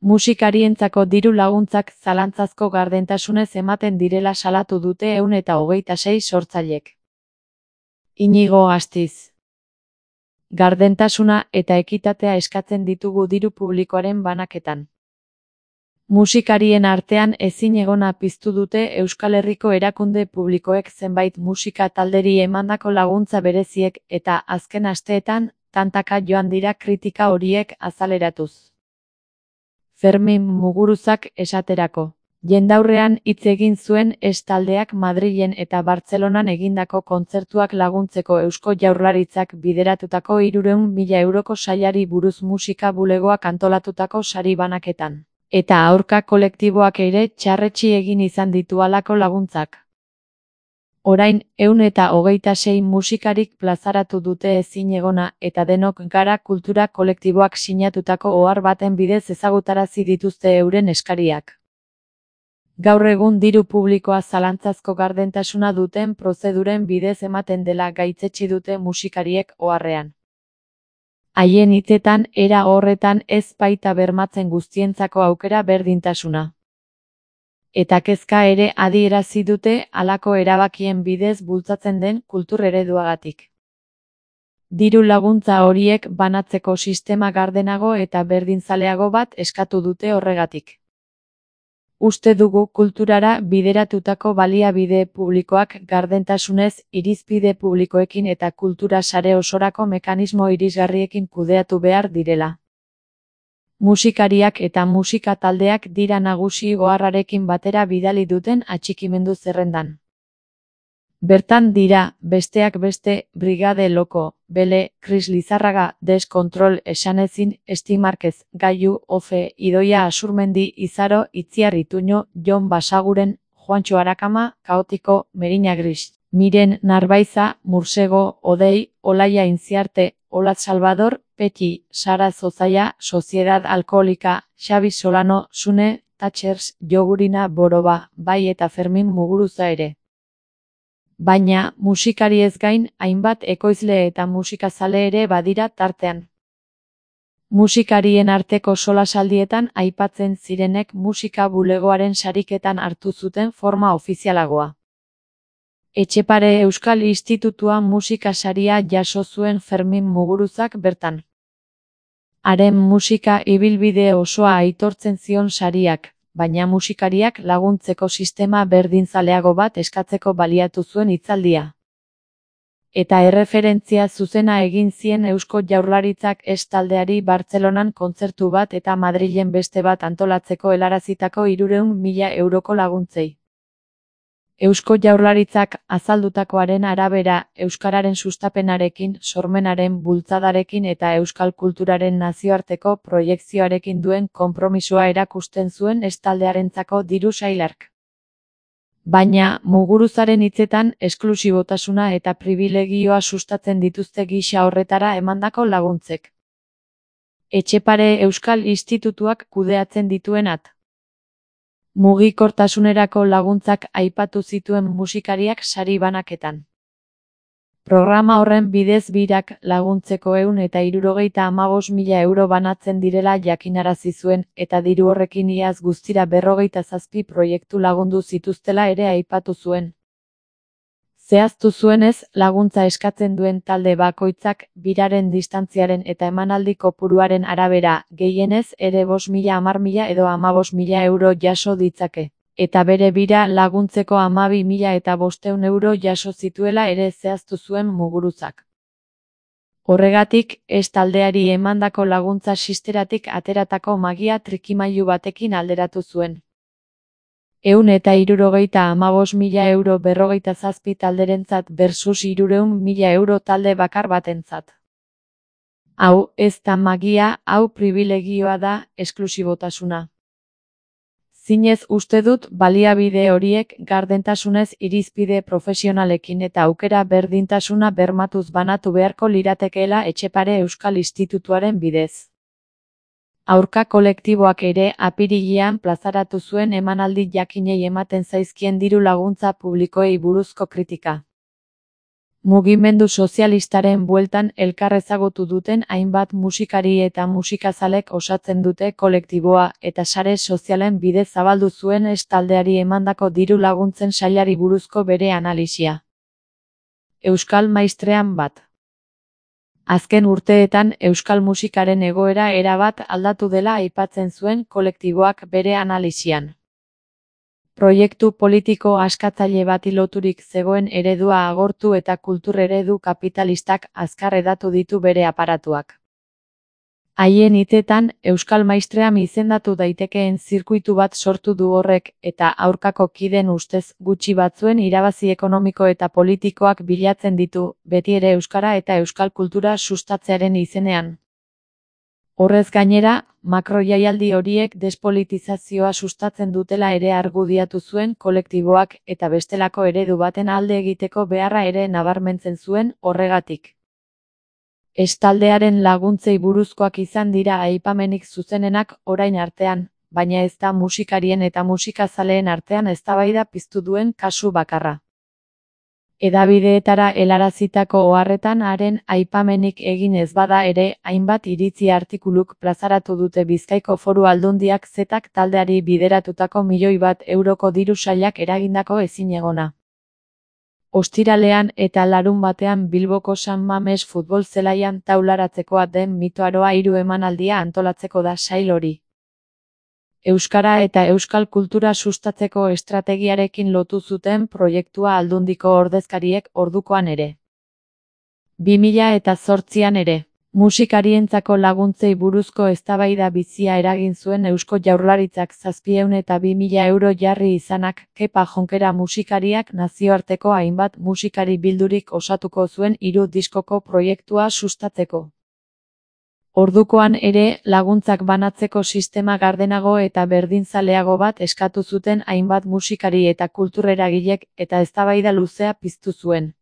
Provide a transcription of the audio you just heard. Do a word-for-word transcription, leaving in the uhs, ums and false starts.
Musikarientzako diru laguntzak zalantzazko gardentasunez ematen direla salatu dute ehun eta hogeita sei sortzailek. Inigo Astiz. Gardentasuna eta ekitatea eskatzen ditugu diru publikoaren banaketan. Musikarien artean ezinegona piztu dute Euskal Herriko erakunde publikoek zenbait musika talderi emandako laguntza bereziek eta azken asteetan tantaka joan dira kritika horiek azaleratuz. Fermin Muguruzak esaterako. Jendaurrean hitz egin zuen Ez taldeak Madrilen eta Bartzelonan egindako kontzertuak laguntzeko Eusko Jaurlaritzak bideratutako hirurehun mila euroko sailari buruz musika bulegoak antolatutako sari banaketan. Eta aurka kolektiboak ere txarretsi egin izan ditu halako laguntzak. Orain, ehun eta hogeita sei musikarik plazaratu dute ezinegona eta denok gara kultura kolektiboak sinatutako ohar baten bidez ezagutarazi dituzte euren eskariak. Gaur egun diru publikoa zalantzazko gardentasuna duten prozeduren bidez ematen dela gaitzetsi dute musikariek oharrean. Haien hitzetan era horretan ez baita bermatzen guztientzako aukera berdintasuna. Eta kezka ere adierazi dute halako erabakien bidez bultzatzen den kultur ereduagatik. Diru laguntza horiek banatzeko sistema gardenago eta berdinzaleago bat eskatu dute horregatik. Uste dugu kulturara bideratutako baliabide publikoak gardentasunez, irizpide publikoekin eta kultura sare osorako mekanismo irisgarriekin kudeatu behar direla. Musikariak eta musika taldeak dira nagusi oharrarekin batera bidali duten atxikimendu zerrendan. Bertan dira, besteak beste, Brigade Loko, Bele, Kris Lizarraga, Deskontrol, Esanezin, Esti Markez, Gailu, Ofe, Idoia Asurmendi, Izaro, Itziar Ituño, Jon Basaguren, Juantxo Arakama, Kaotiko, Merina Gris, Miren Narbaiza, Mursego, Odei, Olaia Inziarte, Olat Salvador, Peti, Sara Zozaia, Soziedad Alkoholika, Xabi Solano, Sune, Thatchers, Jogurina Boroba, bai eta Fermin Muguruza ere. Baina, musikari ez gain, hainbat ekoizle eta musikazale ere badira tartean. Musikarien arteko solasaldietan aipatzen zirenek musika bulegoaren sariketan hartu zuten forma ofizialagoa. Etxepare Euskal Institutua musika saria jaso zuen Fermin Muguruzak bertan. Haren musika ibilbide osoa aitortzen zion sariak, baina musikariak laguntzeko sistema berdinzaleago bat eskatzeko baliatu zuen hitzaldia. Eta erreferentzia zuzena egin zien Eusko Jaurlaritzak Ez taldeari Bartzelonan kontzertu bat eta Madrilen beste bat antolatzeko helarazitako hirurehun mila euroko laguntzei. Eusko Jaurlaritzak azaldutakoaren arabera, euskararen sustapenarekin, sormenaren bultzadarekin eta euskal kulturaren nazioarteko proiekzioarekin duen konpromisoa erakusten zuen Ez taldearentzako diru sailark. Baina, Muguruzaren hitzetan, esklusibotasuna eta pribilegioa sustatzen dituzte gisa horretara emandako laguntzek. Etxepare Euskal Institutuak kudeatzen dituenat. Mugikortasunerako laguntzak aipatu zituen musikariak sari banaketan. Programa horren bidez birak laguntzeko ehun eta hirurogeita hamabost mila euro banatzen direla jakinarazi zuen eta diru horrekin iaz guztira berrogeita zazpi proiektu lagundu zituztela ere aipatu zuen. Zehaztu zuenez, laguntza eskatzen duen talde bakoitzak, biraren distantziaren eta emanaldi kopuruaren arabera, gehienez ere bost mila hamar mila edo hamabost mila euro jaso ditzake. Eta bere bira laguntzeko hamabi mila eta bostehun euro jaso zituela ere zehaztu zuen Muguruzak. Horregatik, Ez taldeari emandako laguntza sisteratik ateratako magia trikimailu batekin alderatu zuen. Ehun eta hirurogeita hamabost mila euro berrogeita zazpi talderentzat versus hirurehun mila euro talde bakar batentzat. Hau ez da magia, hau pribilegioa da, esklusibotasuna. Zinez uste dut baliabide horiek gardentasunez irizpide profesionalekin eta aukera berdintasuna bermatuz banatu beharko liratekeela Etxepare Euskal Institutuaren bidez. Aurka kolektiboak ere apirilean plazaratu zuen emanaldi jakinei ematen zaizkien diru laguntza publikoei buruzko kritika. Mugimendu sozialistaren bueltan elkar ezagutu duten hainbat musikari eta musikazalek osatzen dute kolektiboa eta sare sozialen bidez zabaldu zuen S taldeari emandako diru laguntzen sailari buruzko bere analisia. Euskal maistrean bat. Azken urteetan euskal musikaren egoera erabat aldatu dela aipatzen zuen kolektiboak bere analisian. Proiektu politiko askatzaile bati loturik zegoen eredua agortu eta kultur eredu kapitalistak azkar hedatu ditu bere aparatuak. Haien hitetan, Euskal Maistream izendatu daitekeen zirkuitu bat sortu du horrek eta aurkako kideen ustez gutxi batzuen irabazi ekonomiko eta politikoak bilatzen ditu, beti ere euskara eta euskal kultura sustatzearen izenean. Horrez gainera, makroiaialdi horiek despolitizazioa sustatzen dutela ere argudiatu zuen kolektiboak eta bestelako eredu baten alde egiteko beharra ere nabarmentzen zuen horregatik. S taldearen laguntzei buruzkoak izan dira aipamenik zuzenenak orain artean, baina ez da musikarien eta musikazaleen artean eztabaida piztu duen kasu bakarra. Hedabideetara helarazitako oharretan haren aipamenik egin ez bada ere, hainbat iritzi artikuluk plazaratu dute Bizkaiko Foru Aldundiak zetak taldeari bideratutako milioi bat euroko diru sailak eragindako ezinegona. Ostiralean eta larunbatean Bilboko San Mames futbol zelaian taularatzekoa den mitoaroa hiru emanaldia antolatzeko da sail hori. Euskara eta euskal kultura sustatzeko estrategiarekin lotu zuten proiektua Aldundiko ordezkariek ordukoan ere. bi mila zortzian ere, musikarientzako laguntzei buruzko eztabaida bizia eragin zuen Eusko Jaurlaritzak zazpiehun eta bi mila euro jarri izanak, Kepa Jonkera musikariak nazioarteko hainbat musikari bildurik osatuko zuen hiru diskoko proiektua sustatzeko. Ordukoan ere, laguntzak banatzeko sistema gardenago eta berdinzaleago bat eskatu zuten hainbat musikari eta kultureragilek eta eztabaida luzea piztu zuen.